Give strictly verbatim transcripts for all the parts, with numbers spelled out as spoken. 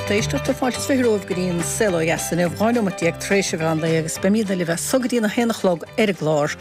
Lucht éisteachta fáilte is fiche romhaibh go dtí an Saol Ó Dheas inniu dhá nóiméad déag tar éis an mheán lae agus beimidne libh as so go dtí a haon a chlog ar an gclár.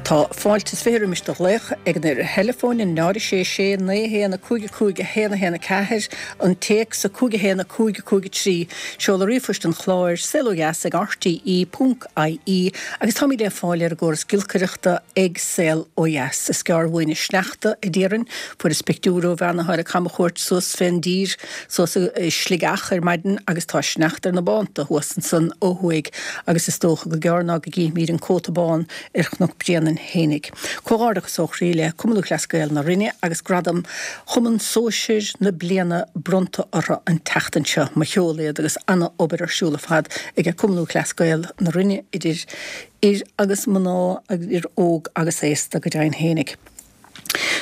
Tá fáilte is fiche roimis do ghlaoch ag an uimhir theileafóin an náid sé sé naoi haon a cúig a cúig a haon a haon a ceathair an téacs a cúig a haon a cúig a cúig a trí seoladh ríomhphoist an chláir saol ó dheas ag RTE ponc IE agus táimid le fáil ar an gcóras giolcaireachta ag Saol Ó Dheas. Is gearr uainn an sneachta a déarfainn, fuaireas pictiúr ó bhean atá ar a camchuairt suas fén dtír suas i Sligeach ar maidin agus tá sneachta ar na bánta thuas ansan ó thuaidh agus is dócha gur gearr ná go gcífimid an cóta bán ar Chnoc Bréanainn fhéinig. Comhghairdeachas ó chroí le Cumann Lúthchleas Gael na Rinne agus gradam Chumann Sóisir na Bliana bronnta orthu an tseachtain seo. Mo cheol iad agus ana-obair ar siúl ar fad ag Cumann Lúthchleas Gael na Rinne idir fhir agus mná agus idir óg agus aosta go deimhin fhéinig.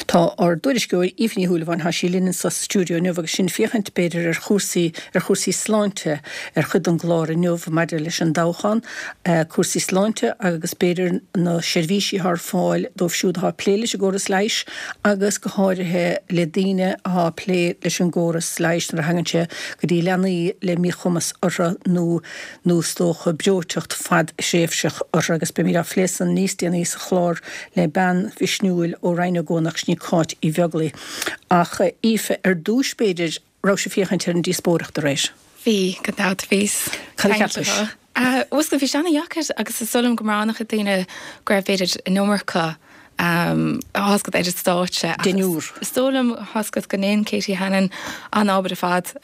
Tá ár dtuairisceoir Aoife Ní Shúilleabháin tá sí linn sa stiúideo inniu agus sinn ag féachaint b'fhéidir ar chúrsaí ar chúrsaí sláinte ar chuid den gclár inniu maidir leis an dtoghchán, cúrsaí sláinte agus b'fhéidir na seirbhísí atá ar fáil dóibh siúd atá ag plé leis an gcóras leighis agus go háirithe le daoine atá ag plé leis an gcóras leighis nuair a thagann sé go dtí leanaí le míchumas orthu nó nó is dócha breoiteacht fadthréimhseach orthu agus beimid á phlé san níos déanaí sa chlár le bean mhisniúil ó Rinn Ó gCuanach sin í Cáit Uí Bheaglaoi. Ach Aoife, ar dtús b'fhéidir, raibh sibh ag féachaint ar an díospóireacht aréir? Bhí, gan dabht, bhíos. Cad a cheapais? Bhuel, bhí sé ana-dheacair agus is dóigh liom go mbraitheann an-chuid daoine go raibh b'fhéidir an iomarca tá a fhios agat ar an stáitse. Deichniúr. Is dóigh liom tá a fhios agat go ndein Katie Hannon an-obair ar fad.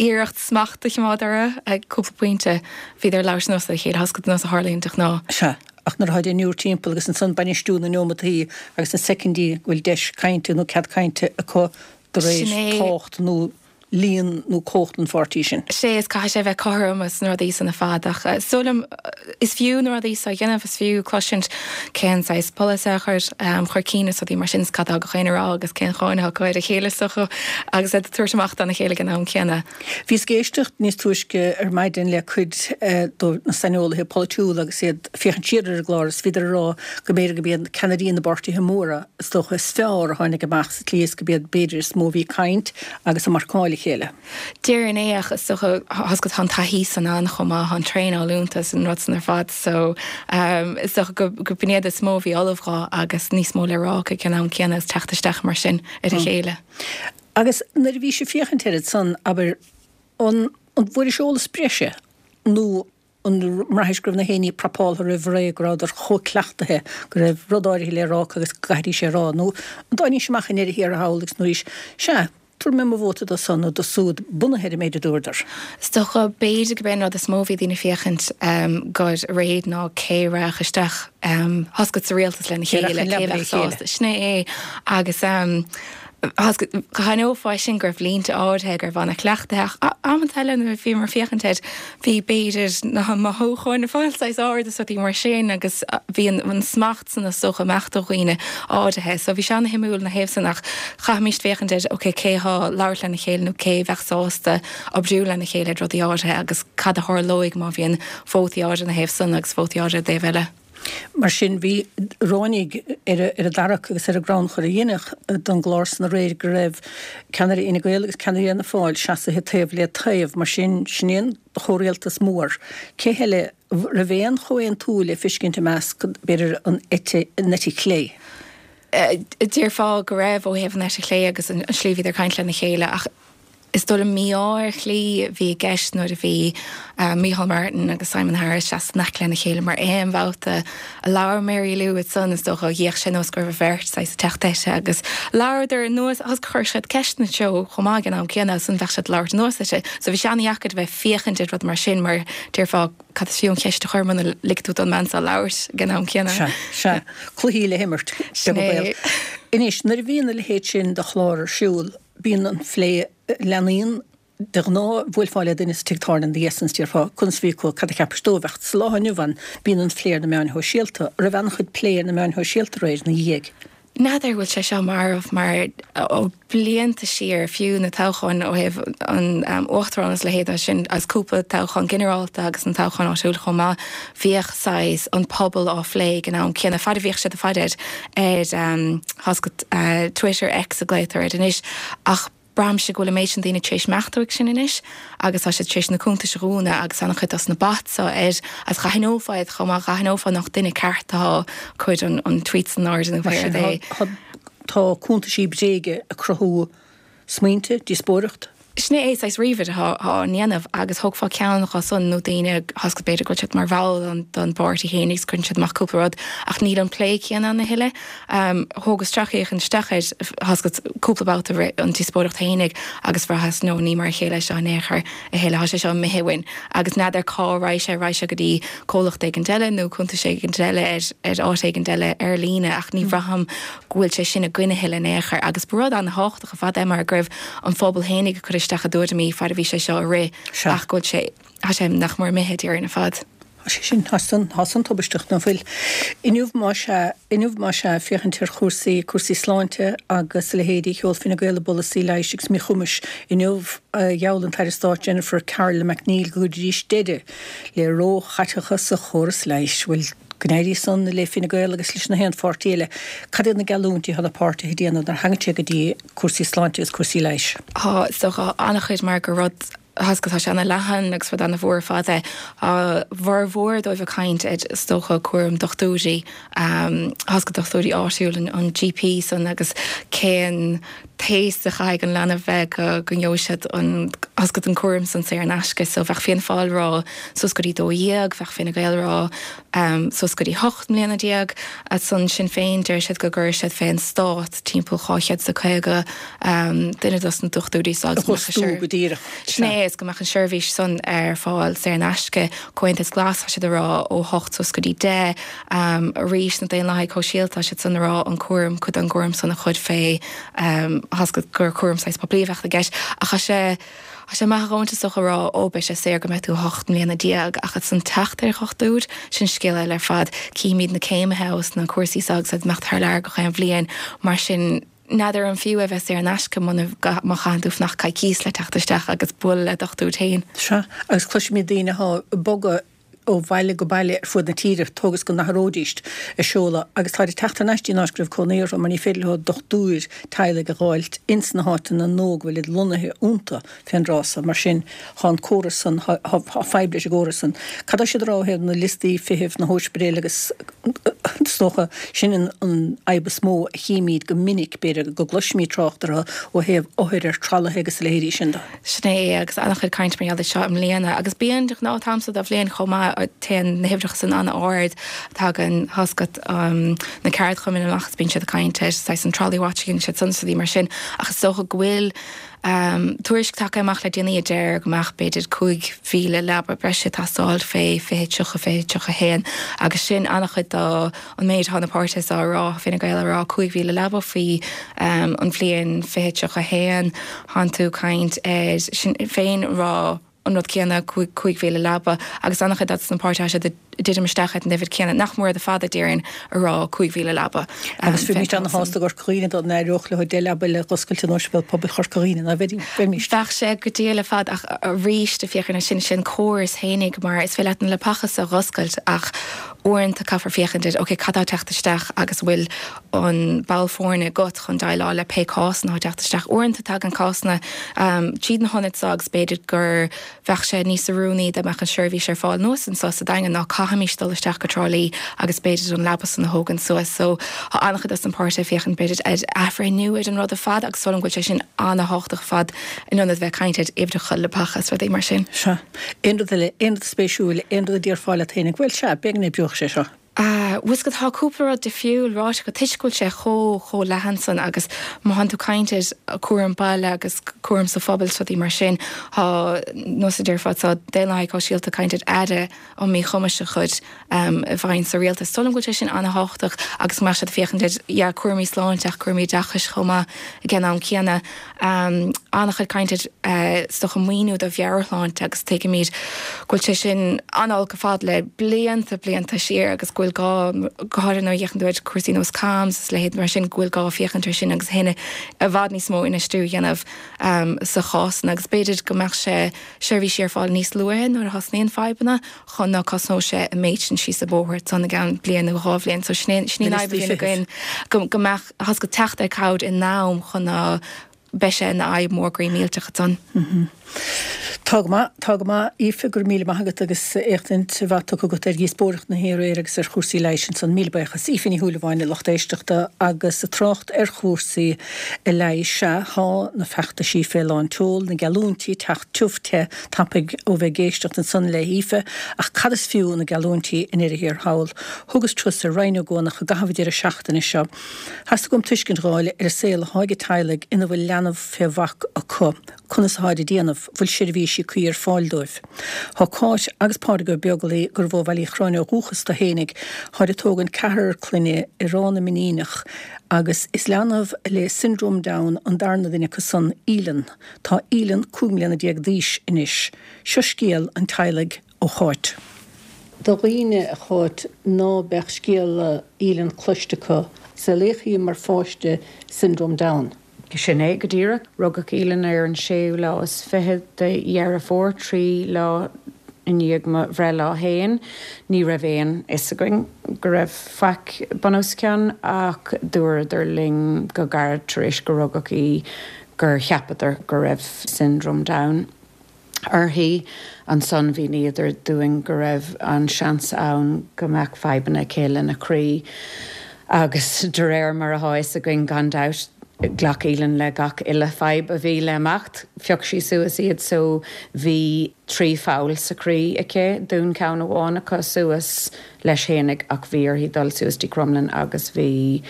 Iarracht smacht a choimeád orthu ag cúpla pointe. Bhíodar ag labhairt anuas ar a chéile, tá a fhios agat nós a tharlaíonn de ghnáth. Sea, ach nuair atá deichniúr timpeall agus ansan bainistiú na neomataí agus na soicindí go bhfuil deis cainte nó cead cainte acu de réir tábhacht nó líon nó cumhacht an pháirtí sin. Sea, is caithfidh sé a bheith cothrom sna rudaí san ar fad ach is dóigh liom is fiú na rudaí so a dhéanamh, is fiú cloisint cén saghas polasaithe a chur chun cinn is rudaí mar sin is cad atá gach éinne a rá agus cén cháin atá acu ar a chéile is dócha agus iad ag tabhairt amach dá chéile ag an am céanna. Bhíos ag éisteacht níos túisce ar maidin le cuid de na saineolaithe polaitiúla agus iad ag féachaint siar ar an gclár is bhíodar ag rá go mb'fhéidir go mb'iad ceannairí na bpáirtithe móra is dócha is fearr a tháinig amach sa tslí is go b'iad b'fhéidir is mó a bhí ag caint agus ag marcáil a chéile. Déarfainn é ach is dócha tá a fhios agat tá an taithí san ann chomh maith, tá an traenáil iontu is an rud san ar fad so is dócha go b'in iad is mó a bhí ullamh dhó agus níos mó le rá acu ag an am céanna agus teacht isteach mar sin ar a chéile. Agus nuair a bhí sibh ag féachaint air san, abair, an an bhfuairis eolas breise nó an mbraithis go raibh na héinní prapáltha roimh ré, go rabhadar chomh cleachtaithe go raibh rud áirithe le rá acu agus go gcaithfidís é a rá, nó an dtáinís amach i ndeireadh thiar thall agus nuair sea, tabharfaidh mé mo vóta do san nó do súd, bunaithe ar an méid a dúradar. Is dócha, b'fhéidir go b'é an rud is mó a bhí daoine ag féachaint dhó aréir ná cé a rachadh isteach tá a fhios agat sa rialtas lena chéile, cé a bheadh sásta. Sin é é. Agus d'aithneofá sin go raibh línte áirithe go raibh an-chleachtaithe ach amanta eile nuair a bhíomar ag féachaint air bhí b'fhéidir na mothúcháin ag fáil saghas ard is rudaí mar sin agus bhí an smacht san is dócha imeacht ó dhaoine áirithe. So bhí sé ana-shuimiúil ina thaobh san ach chaithfimíst féachaint ar ok cé atá ag labhairt lena chéile nó cé a bheadh sásta oibriú lena chéile ar rudaí áirithe agus cad a tharlóidh má bhíonn vótaí áirithe ina thaobh san agus vótaí áirithe i dtaobh eile. Mar sin, bhí ráinig ar an dtarrac agus ar an gcrannchur a deineadh don gclár san aréir go raibh ceannaire Fhine Gael agus ceannaire Fhianna Fáil seasaithe taobh le taobh. Mar sin, sin é an chomhrialtas mór. Cé heile raibh aon chomhaontú le fiscint i measc, b'fhéidir, an eite, an eite chlé? Déarfá go raibh ó thaobh an eite chlé agus an slí a bhíodar ag caint lena chéile ach is dóigh liom mí-ádh ar shlí a bhí i gceist nuair a bhí Micheál Martin agus Simon Harris seasta in aice lena chéile mar aon bhabhta a labhair Mary Lou ansan is dócha d'fhéach sé nós go raibh an bheirt saghas ag teacht uirthi agus labhradar anuas agus chuir siad ceisteanna treo chomh maith ag an am céanna agus ansan bheadh siad ag labhairt anuas uirthi so bhí sé an-dheacair a bheith ag féachaint ar rud mar sin mar déarfá cad is fiú an cheist a chur muna ligfidh tú don mbean seo labhairt ag an am céanna. Sea, sea. Cluichí le himirt, beag an baol. Anois, nuair a bhíonn a leithéid sin de chlár ar siúl, bíonn an phlé, leanaíonn, de ghnáth, bhuailfeá le duine sa tigh tábhairne ina dhiaidh san is déarfá, conas a bhí acu, cad a cheapais dóibh, ach sa lá inniu ann, bíonn an phlé ar na meáin shóisialta. An raibh an-chuid plé ar na meáin shóisialta aréir ina dhiaidh? N'fheadar an bhfuil sé seo marbh mar ó blianta siar, fiú na toghcháin ó thaobh an uachtaráin agus a leithéid sin agus cúpla toghchán ginearálta agus an toghchán áitiúil chomh maith, bhíodh saghas an pobal á phlé ag an am céanna, fad a bhíodh siad ag faire ar ar tá a fhios agat Twitter, X a glaotar air anois, ach Braithimse go bhfuil an méid sin daoine tar éis imeacht uaidh sin anois agus tá siad tar éis na cuntais a dhúnadh agus an-chuid dos na bots seo ar agus d'aithneofá iad chomh maith, d'aithneofá nach duine ceart atá ag cur an an tweet san airde nó pé rud é. Tá cuntaisí bréige ag cruthú smaointe, díospóireacht. Sin é saghas ríomhaire atá á ndéanamh agus thógfá ceann acu san nó daoine tá 's agat b'fhéidir go bhfuil siad mar bhall don bpáirtí féin agus cuireann siad amach cúpla rud ach níl an plé céanna ann a thuilleadh. Thógas sracfhéachaint isteach air tá 's agat cúpla babhta rith an díospóireacht fhéinig agus bhraitheas no ní mar a chéile é seo in aon chor a thuilleadh, tá sé seo imithe uainn agus n'fheadar cá raghaidh sé, raghaidh sé go dtí comhlacht éigint eile nó cuntas éigint eile ar ar áit éigint eile ar líne ach ní bhraithim go bhfuil sé sin againn a thuilleadh in aon chor agus ba rud an-thábhachtach ar fad é mar go raibh an phobal fhéinig ag cur isteach a dtuairimí fad a bhí sé seo ag rith ach go bhfuil sé, tá sé nach mór imithe déarfainn ar fad. Tá sé sin, tá san, tá san tubaisteach, ná fuil? Inniu más ea, inniu más ea, féachaint ar chúrsaí, cúrsaí sláinte agus a leithéidí, sheol Fine Gael a bpolasaí leighis agus míchumais. Inniu gheall an tAire Stáit Jennifer Carroll MacNeill go gcuirfidís deireadh le róchaiteachas sa chóras leighis. Bhuel, go n-éirí san le Fine Gael agus leis na haon pháirtí eile, cad iad na geallúintí atá na páirtithe ag déanamh nuair a thagann sé go dtí cúrsaí sláinte agus cúrsaí leighis? Tá, is dócha, an-chuid mar gur rud, tá 's agat, tá sé ana-leathan agus rud ana-mhór ar fad é. Tá formhór dóibh ag caint ar, is dócha, cúram dochtúirí, tá 's agat, dochtúirí áitiúil, an GP san agus cén t-aois a chaithfidh an leanbh bheith go go ngeobhaidh siad an tá 's agat an cúram san saor in aisce. So bheadh Fianna Fáil rá suas go dtí dó dhéag, bheadh Fine Gael rá suas go dtí hocht mbliana déag. Ansan Sinn Féin deir siad go gcuirfidh siad fén stát timpeall dhá chéad is a caoga duine dos na dochtúirí so agus go mbeadh an go díreach. Sin é is go mbeadh an seirbhís san ar fáil saor in aisce. Comhaontas Glas tá siad a rá ó hocht suas go dtí deich. Arís na Daonlathaigh Shóisialta tá siad san a rá an cúram, cuid den gcúram san a chur fé tá 's agat gur cúram saghas poiblí a bheadh i gceist ach tá sé tá sé maith a dhóthain is dócha a rá ó beidh sé saor go mbeidh tú hocht mbliana déag ach ansan teacht ar dhochtúir, sin scéal eile ar fad. Címid na céimithe ós na cúrsaí seo agus iad ag imeacht thar lear gach aon bhliain mar sin n'fheadar an fiú é bheith saor in aisce muna má chaitheann tú fanacht coicíos le teacht isteach agus bualadh le dochtúir féin. Sea, agus cloisimid daoine atá ag bogadh ó bhaile go baile ar fud na tíre, toisc go n-athróidíst a seoladh agus táid ag teacht thar n-ais dtí an áit go raibh cónaí orthu mar ní féidir leo dochtúir teaghlaigh a dh'fháilt ins na háiteanna nua go bhfuilid lonnaithe iontu fén dtráth so. Mar sin, thá an córas san, thá fadhb leis an gcóras san. Cad tá siad a rá ó thaobh na liostaí feithimh, na hóispidéil agus is dócha sin an fhadhb is mó a chímíd go minic, b'fhéidir, go gcloisimíd trácht orthu ó thaobh othair ar tralaithe agus a leithéidí sin de. Sin é, agus an-chuid cainte mar gheall air seo i mbliana, agus bíonn de ghnáth an t-am so de bhliain chomh maith, téann na huimhreacha san an-ard, tagann, tá 's agat, na ceardchumainn amach agus bíonn siad ag caint ar saghas an trolley watching agus siad san is rudaí mar sin, ach is dócha go bhfuil tuairisc tagtha amach le déanaí a deir go mbeadh b'fhéidir cúig mhíle leaba breise ag teastáil fé fiche tríocha, fiche tríocha haon agus sin an-chuid de an méid atá na páirtithe seo a rá, Fine Gael a rá cúig mhíle leaba faoi an bhliain fiche tríocha haon, thánn tú caint ar Sinn Féin a rá an rud céanna, cúig mhíle leaba agus an-chuid de na páirtithe tá siad ag titim isteach ar an uimhir céanna, nach mór iad ar fad a déarfainn, a rá cúig mhíle leaba. Agus bheimíst ana-shásta i gCorca Dhuibhne dá n-éireodh leo deich leaba eile a dh'oscailt in Ospidéal Pobail Chorca Dhuibhne, ná bheimíst? Bheadh sé go diail ar fad ach arís ag féachaint air sin, sin córas fhéinig mar is féidir leat na leapacha so a dh'oscailt ach uaireanta caithfear féachaint ar ok cad tá ag teacht isteach agus an bhfuil an ball foirne agat chun déileáil le pé cásanna atá ag teacht isteach. Uaireanta tagann cásanna tríd na hionaid seo agus b'fhéidir gur bheadh sé níos oiriúnaí dá mbeadh an seirbhís ar fáil anuas anseo sa Daingean ná caithfimís dul isteach go Trá Lí agus b'fhéidir an leaba san a thógaint suas. So tá an-chuid dos na páirtithe ag féachaint b'fhéidir ar athbhreithniú ar an rud ar fad agus is dóigh liom go bhfuil sé sin an-thábhachtach ar fad in ionad bheith ag caint ar uimhreacha leapacha is rudaí mar sin. Sea. Aon rud eile, aon rud spéisiúil, aon rud a déarfá leat féinig, bhuel, sea, b'fhéidir go n-oibreodh sé seo. Bhfuil 's agat, tá cúpla rud difriúil ráite acu toisc go bhfuil sé chomh, chomh leathan san agus má thánn tú ag caint ar cúram baile agus cúram sa phobal is rudaí mar sin, tá, nós a déarfá, tá Daonlathaigh Shóisialta ag caint ar aire um míchumais a chur i bhfeidhm sa rialtas. Is dóigh liom go bhfuil sé sin an-thábhachtach agus go mbeadh siad ag féachaint ar, yeah, cúraimí sláinte ach cúraimí oideachais chomh maith ag an am céanna. An-chuid caint ar, is dócha, maoiniú do mheabhairshláinte agus tuigimid go bhfuil sé sin an-olc ar fad le blianta, blianta siar agus go bhfuil gá, go háirithe nuair a fhéachann tú ar cúrsaí nós CAMHS agus a leithéid mar sin, go bhfuil gá féachaint ar sin agus a i bhfad níos mó infheistiú a dhéanamh sa chás san agus b'fhéidir go mbeadh sé seirbhísí ar fáil níos luaithe nuair a thosnaíonn fadhbanna chun ná cosnódh sé an méid sin síos an bóthar ansan i gceann bliain nó dhá bhliain. So sin é, sin í an fhadhb a bhíonn againn, go mbeadh, tá 's agat, teacht ar cabhair in am chun ná beidh sé ina fhadhb mór groí millteach ansan. Tá go maith, tá go maith, Aoife, go raibh míle maith agat agus éachtaint mhaith tugtha agat ar dhíospóireacht na haréir agus ar chúrsaí leighis ansan. Míle buíochas. Aoife Ní Shúilleabháin, a lucht éisteachta agus ag trácht ar chúrsaí leighis, sea, tá na feachtaisí fé lán tseoil, na geallúintí ag teacht tiubh te tapaidh ó bheith ag éisteacht ansan le hAoife, ach cad is fiú na geallúintí i ndeireadh thiar thall? Thugas turas ar Rinn Ó gCuanach i gcaitheamh an deireadh seachtaine seo. Theastaigh uaim tuiscint dh'fháil ar an saol athá ag teaghlaigh ina bhfuil leanbh fé bhac acu. Conas atháid ag déanamh? Bhfuil seirbhísí cuí ar fáil dóibh? Thá Cáit agus Pádraig Ó Beaglaoi, gurbh ó Bhaile Uí Chorráin ó dhúchas do fhéinig, tháid ag tógaint ceathrar clainne i Ráth na Mainíneach agus is leanbh le Syndrome Down an darna duine acu san, Aoileann. Tá Aoileann cúig mbliana déag d'aois anois. Seo scéal an teaghlaigh ó Cháit. Do dhaoine, a Cháit, ná beadh scéal Aoileann cloiste acu, saolaíodh í mar pháiste Syndrome Down. Sin é go díreach. Rugadh Aoileann ar an séú lá is fiche de Dheireadh Fómhair, trí lá i ndiaidh mo bhreithlá féin. Ní raibh aon fhios againn go raibh faic bun os cionn ach dúradar linn go gairid tar éis go rugadh í gur cheapadar go raibh Syndrome Down uirthi. Ansan mhíníodar dúinn go raibh an seans ann go mbeadh fadhbanna aici lena croí agus de réir mar atá fhios againn gan dabht, ghlac Aoileann le gach uile fadhb a bhí le imeacht. Phioc sí suas iad so bhí trí pholl sa chroí aici, dhún ceann amháin acu suas leis fhéinig ach bhí uirthi dul suas dtí Crumlin agus bhí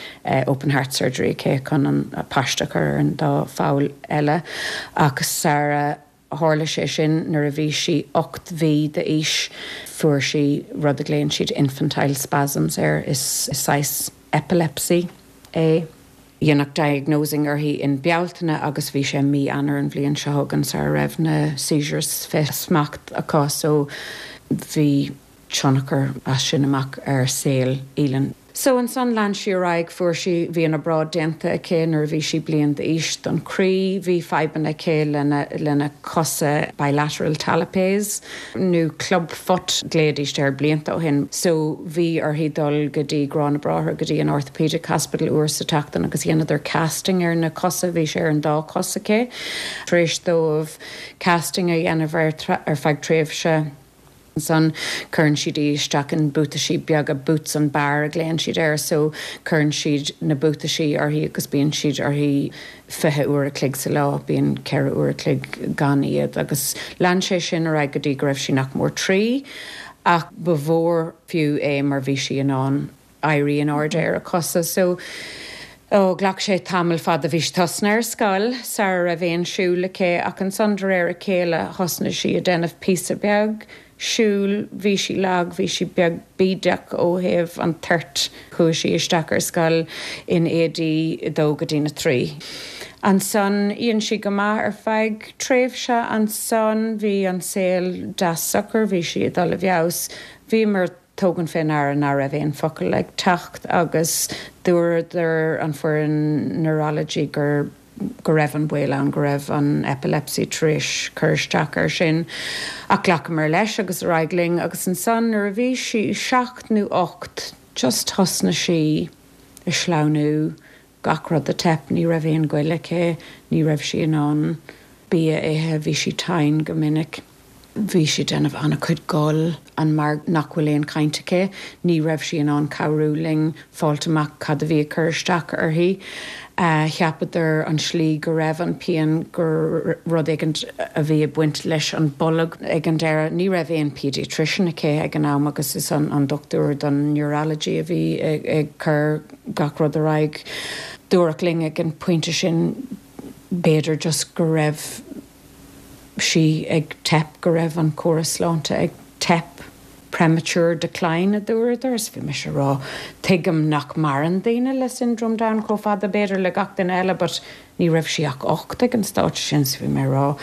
open heart surgery aici chun an paiste a chur ar an dá pholl eile ach sara tharla sé sin nuair a bhí sí ocht mhí d'aois fuair sí rud a ghlaonn siad infantile spasms air is saghas epilepsy é. Dhéanadh diagnosing uirthi in Bealtaine agus bhí sé mí Eanáir an bhliain seo chugainn sara raibh na seizures fé smacht acu so bhí tionchar as sin amach ar saol Aoileann. So ansan lean sí ar aghaidh, fuair sí, bhí an obráid déanta aici nuair a bhí sí bliain d'aois don chroí, bhí fadhbanna aici lena, lena cosa, bilateral talipes nó club foot ghlaoidís air blianta ó shin. So bhí uirthi dul go dtí Grá na Bráithre, go dtí an orthopaedic hospital uair sa tseachtain agus dhéanadar casting ar na cosa, bhí sé ar an dá chos aici. Tar éis dóibh casting a dhéanamh ar, ar feadh tréimhse, Ansan cuireann siad í isteach in buataisí beaga, boots and bar a ghlaonn siad air, so cuireann siad na buataisí uirthi agus bíonn siad uirthi fiche uair a chloig sa lá, bíonn ceithre uair a chloig gan iad agus lean sé sin ar aghaidh go dtí go raibh sí nach mór trí ach ba mhór fiú é mar bhí sí in ann éirí in airde ar a cosa. So, oh, ghlac sé tamall fada, bhí sí tosnaithe ar scoil sara raibh aon siúl aici ach ansan de réir a chéile thosnaigh sí ag déanamh píosa beag siúil, bhí sí lag, bhí sí beag bídeach ó thaobh an toirt. Chuaigh sí isteach ar scoil in A D a dó go dtína trí. Ansan dhein sí go maith ar feadh tréimhse, ansan bhí an saol deas socair, bhí sí ag dul i bhfeabhas. Bhíomar ag tógaint fé ndeara ná raibh aon focal ag teacht agus dúradar an foireann neurology gur go raibh an baol ann go raibh an epilepsy tar éis cur isteach air sin. Ach ghlacamar leis agus ar aghaidh linn agus ansan nuair a bhí sí seacht nó ocht just thosnaigh sí ag sleamhnú, gach rud ag teip, ní raibh aon ghoil aici, ní raibh sí in ann bia a ithe, bhí sí tinn go minic. Bhí sí ag déanamh an-chuid gol and mar nach bhfuil aon chaint aici, ní raibh sí in ann cabhrú linn fáilt amach cad a bhí ag cur isteach uirthi. Cheapadar an slí go raibh an pian gur rud éigin a bhí ag baint leis an bolg ag an deireadh. Ní raibh aon paediatrician aici ag an am agus is an an dochtúir don neurology a bhí ag cur gach rud ar aghaidh. Dúradh linn ag an pointe sin b'fhéidir just go raibh sí ag teip, go raibh an córas sláinte ag teip, premature decline a dúradar, is bhí mise a rá, tuigim nach maireann daoine le syndrome Down chomh fada b'fhéidir le gach duine eile but ní raibh sí ach ocht ag an stáitse sin so bhí mé a rá.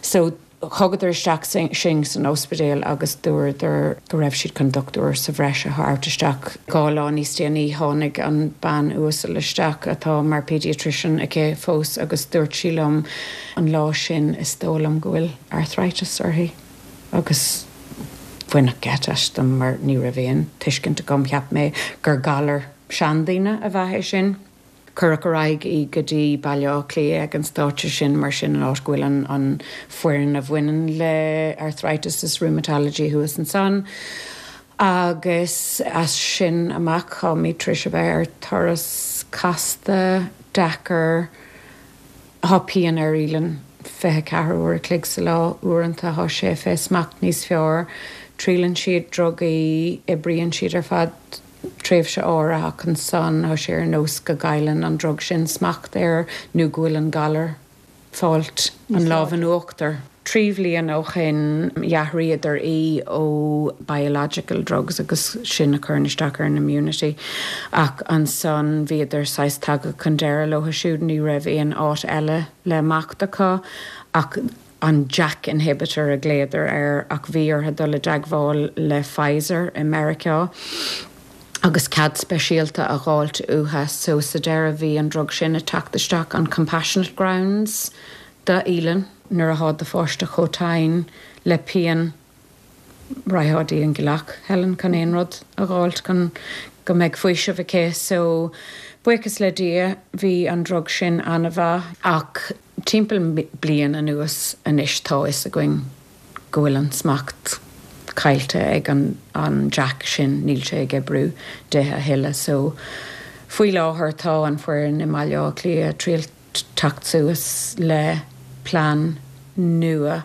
So thugadar isteach sinn san ospidéal agus dúradar go raibh siad chun dochtúir sa bhreis a thabhairt isteach. Dhá lá níos déanaí tháinig an bean uasal isteach atá mar paediatrician aici fós agus dúirt sí liom an lá sin is dóigh liom go bhfuil arthritis uirthi agus baineadh geit astam mar ní raibh aon tuiscint agam, cheap mé gur galar seandaoine ab ea é sin. Cuireadh ar aghaidh í go dtí Baile Átha Cliath ag an stáitse sin mar sin an áit go bhfuil an an foireann a bhaineann le arthritis is rheumatology thuas ansan. Agus as sin amach táimid tar éis a bheith ar turas casta deacair Tá pian ar Aoileann fiche ceathair uair a chloig sa lá uaireanta tá sé fé smacht níos fearr, triaileann siad drugaí, oibríonn siad ar feadh tréimhse áirithe ach ansan tá sé ar nós go gcailleann an drug sin smacht air nó go bhfuil an galar fáilt an lámh in uachtar. Trí bhliain ó shin d'athraíodar í ó biological drugs agus sin a chuireann isteach ar an immunity ach ansan bhíodar saghas tagtha chun deireadh leo siúd ní raibh aon áit eile le imeacht acu ach an JAK inhibitor a ghlaodar air ach bhí orthu dul i dteagmháil le Pfizer i Meiriceá agus cead speisialta a fháilt uathu so sa deireadh bhí an drug sin ag teacht isteach on compassionate grounds d'Aoileann nuair atá do pháiste chomh tinn le pian raghfá dtí an ghealach Helen chun aon rud a fháilt chun go mbeidh faoiseamh aici so buíochas le Dia bhí an drug sin an-mhaith ach timpeall bliain anuas anois tá a fhios againn go bhfuil an smacht caillte ag an an JAK sin níl sé ag oibriú di a thuilleadh so faoi láthair tá an foireann i mBaile Átha Cliath triail teacht suas le plean nua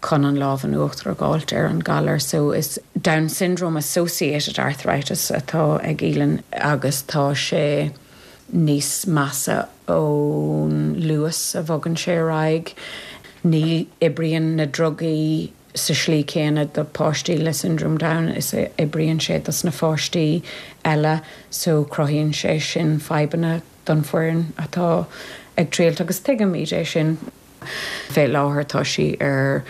chun an lámh in uachtar a fháilt ar an galar so is Down syndrome associated arthritis atá ag Aoileann agus tá sé níos measa ón luas a bhogann sé ar aghaidh. Ní oibríonn na drugaí sa slí céanna do páistí le syndrome Down is a oibríonn sé dos na pháistí eile so cruthaíonn sé sin fadhbanna don foireann atá ag triailt agus tuigimid é sin. Fé láthair tá sí ar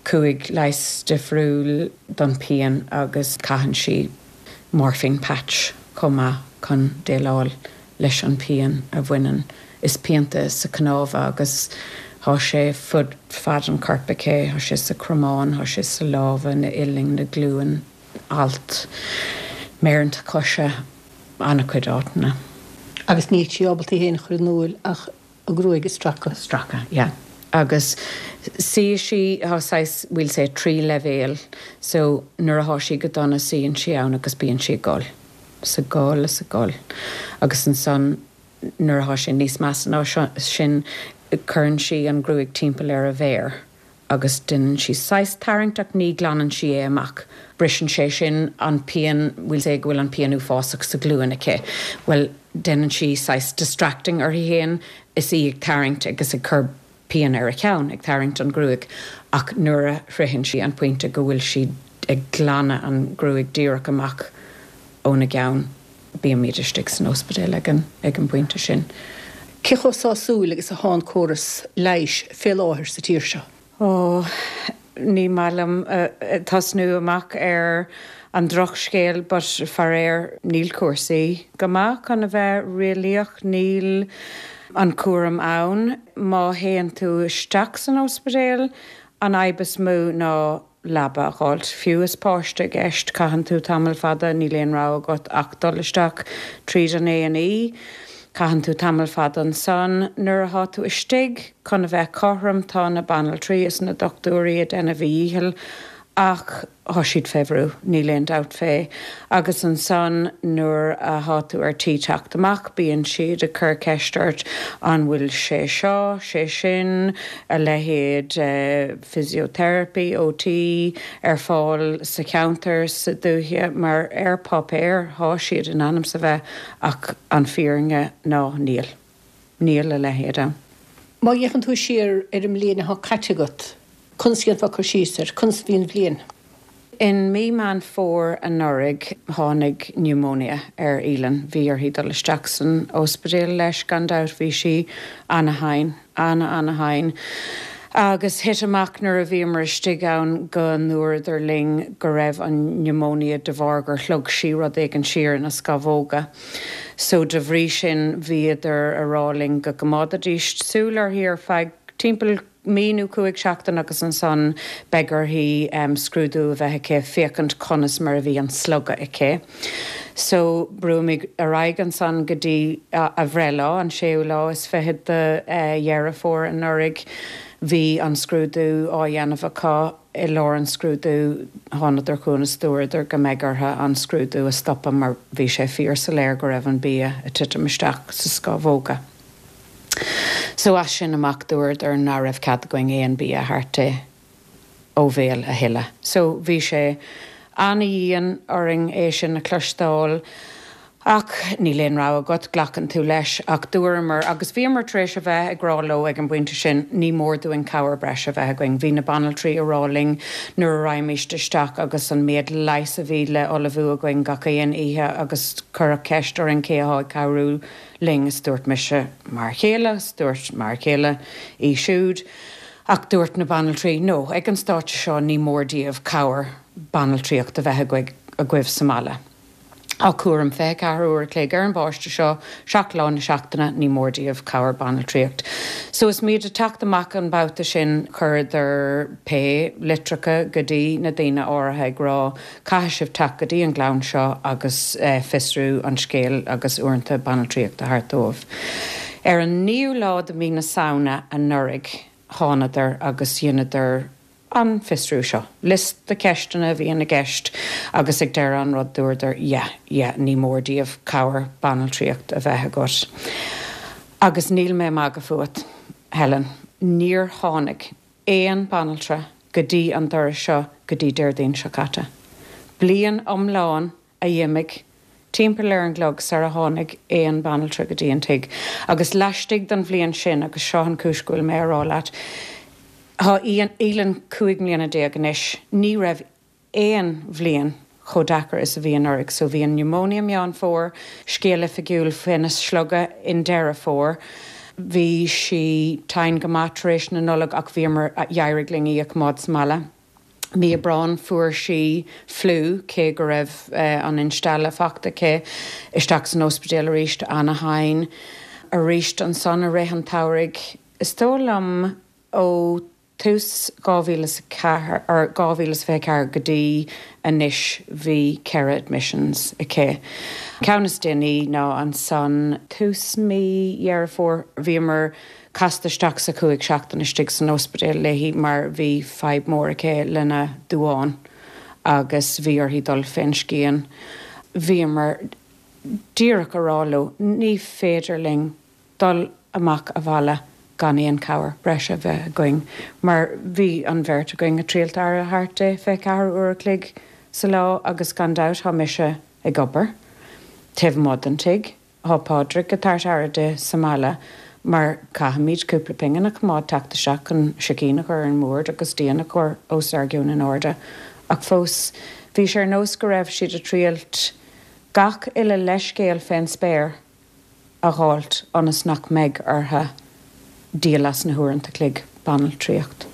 cúig leigheas difriúil don pian agus caitheann sí morphine patch chomh maith chun déileáil leis an pian a bhaineann is pianta sa cnámha agus tá sé fud fad an choirp aici, tá sé sa cromán, tá sé sa lámha na uillinn na glúin alt méireanta coise an-chuid áiteanna. Agus níl sí ábalta í féin a chur in iúl ach a gruaig a stracadh. Stracadh, yeah. Agus sí sí tá saghas we'll say trí leibhéal, so nuair atá sí go dona suíonn sí ann agus bíonn sí ag gol. Sa gol is a gol. Agus ansan nuair atá sé níos measa ná sin cuireann sí an gruaig timpeall ar a mhéar agus déanann sí saghas tarraingt ach ní ghlanann sí é amach. Briseann sé sin an pian we'll say go bhfuil an pian uafásach sa ghlúin aici. Well déanann sí saghas distracting uirthi féin is í ag tarraingt agus ag cur pian ar a ceann ag tarraingt an gruaig ach nuair a shroicheann sí an pointe go bhfuil sí ag glanadh an gruaig díreach amach óna gceann bímid istigh san ospidéal ag an ag an bpointe sin. Cé chomh sásúil agus atá an córas leighis fé láthair sa tír seo? Ó ní maith liom tosnú amach ar an drochscéal but faraor níl cúrsaí go maith chun a bheith réalaíoch níl an cúram ann má théann tú isteach san ospidéal an fhadhb is mó ná leaba a fháilt. Fiú is páiste i gceist caitheann tú tamall fada níl aon rogha agat ach dul isteach tríd an A and E. Caitheann tú tamall fada ansan nuair atá tú istigh chun a bheith cothrom tá na banaltraí is na dochtúirí ag déanamh a ndícheall ach tá siad fé bhrú, níl aon dabht fé. Agus ansan nuair atá tú ar tí teacht amach, bíonn siad ag cur ceist ort an bhfuil sé seo, sé sin, a leithéid uh, physiotherapy, OT ar fáil sa cheantar sa dúiche mar ar páipéar tá siad in ainm is a bheith ach an fírinne ná níl. Níl a leithéid ann. Má fhéachann tú siar ar an mbliain atá caite agat, conas a dhéanfá cur síos air, conas a bhí an bhliain. In mí Meán Fómhair anuraidh tháinig pneumonia ar Aoileann, bhí uirthi dul isteach san ospidéal leis gan dabht bhí sí ana-thinn, ana-ana-thinn. Agus thit amach nuair a bhíomar istigh ann go ndúradar linn go raibh an pneumonia de bharr gur shlog sí rud éigin siar ina scamhóga. So de bhrí sin bhíodar ag rá linn go gcoimeádfaidís súil uirthi ar feadh timpeall mí nó cúig seachtain agus ansan beidh uirthi um, scrúdú a bheith aici féachaint conas mar a bhí an slogadh aici. So brúimid ar aghaidh ansan go dtí a, a breithlá an séú lá is fiche de uh, Dheireadh Fómhair anuraidh bhí an scrúdú á dhéanamh acu i lár an scrúdú thánadar chugainn is dúradar go mbeidh orthu an scrúdú a stopadh mar bhí sé fíorsoiléir go raibh an bia ag titim isteach sa scamhóga. So as sin amach dúradar nach raibh cead againn aon bia a thabhairt di ó bhéal a thuilleadh. So bhí sé an-dian orainn é sin a chloisteáil ach níl aon rogha agat glacann tú leis ach dúramar agus bhíomar tar éis a bheith ag rá leo ag an bpointe sin ní mór dúinn cabhair breise a bheith againn. Bhí na banaltraí ag rá linn nuair a raghaimís isteach agus an méid leighis a bhí le ullmhú againn gach aon oíche agus cuireadh ceist orainn cé atá ag cabhrú linn is dúirt mise m'fhear céile, dúirt m'fhear céile í siúd. Ach dúirt na banaltraí no ag an stáitse seo ní mór daoibh cabhair banaltraíocht a bheith agaibh sa mbaile. Á cúram fiche ceathair uair a chloig ar an bpáiste seo seacht lá na seachtaine ní mór daoibh cabhair banaltraíocht. So is muid ag teacht amach an babhta sin chuireadar pé litreacha go dtí na daoine áirithe ag rá caithfidh sibh teacht go dtí an gclann seo agus eh, fiosrú an scéal agus uaireanta banaltraíocht a thabhairt dóibh. Ar an naoú lá de mhí na Samhna anuraidh thánadar agus dheineadar an fiosrú seo. Liosta ceisteanna a bhí i gceist agus ag deireadh an rud dúradar yeah, yeah, ní mór daoibh cabhair banaltraíocht a bheith agat. Agus níl mé magadh fút, Helen, níor tháinig aon banaltra go dtí an doras seo go dtí Déardaoin seo caite. Bliain iomlán a d'imigh timpeall ar an gclog sar a tháinig aon banaltra go dtí an tigh. Agus laistigh den bhliain sin agus seo an chúis go bhfuil mé á rá leat, Tá Aoileann cúig mbliana déag anois, ní raibh aon bhliain chomh deacair is a bhí anuraidh, so bhí an pneumonia Meán Fómhair, scéal oifigiúil faoina slogadh i nDeireadh Fómhair. Bhí sí tinn go maith tar éis na Nollag ach bhíomar d'éirigh linn í a choimeád sa mbaile. Mí Aibreáin fuair sí fliú cé go raibh uh, an instealladh fachta aici isteach san ospidéal arís ana-thinn arís ansan i rith an tsamhraidh. Is dóigh liom ó tús dhá mhíle ceathair ar dhá mhíle fiche ceathair go dtí anois bhí ceithre admissions aici. Ceann is déanaí ná ansan tús mí Dheireadh Fómhair bhíomar casta isteach sa cúig seachtain istigh san ospidéal léi mar bhí fadhb mór aici lena duán agus bhí uirthi dul fén scian. Bhíomar díreach ag rá leo ní féidir linn dul amach abhaile gan aon cabhair breise bheith againn, mar bhí an bheirt againn ag triall aire a thabhairt di fiche ceathair uair a chloig sa lá agus gan dabht tá mise ag obair. Taobh amuigh den tigh, Tá Pádraig ag tabhairt aire di sa mbaile mar caithfimid cúpla pingin a choimeád teacht isteach an sicín a chur ar an mbord agus díon a chur os ár gcionn in airde. Ach fós bhí sé ar nós go raibh siad ag triailt gach uile leithscéal fén spéir a fháilt ionas nach mbeidh orthu díol as na huaireanta a chloig banaltraíocht.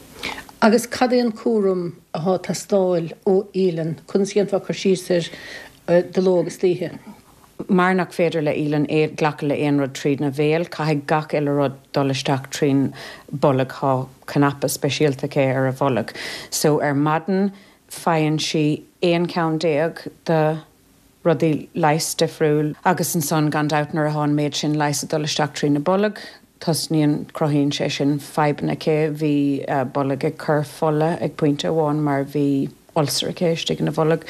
Agus cad é an cúram atá ag teastáil ó Aoileann, conas a dhéanfá cur síos air de ló agus d'oíche. Mar nach féidir le Aoileann é glacadh le aon rud trína bhéal, caithfidh gach uile rud dul isteach trín bolg tá cnaipe speisialta aici ar a bholg. So ar maidin faigheann sí aon cheann déag de rudaí leighis difriúil agus ansan gan dabht nuair atá an méid sin leighis ag dul isteach trína bolg, tosnaíonn cruthaíonn sé sin fadhbanna aici bhí uh, bolg ag cur fola ag pointe amháin mar bhí ulcer aici istigh ina bholg.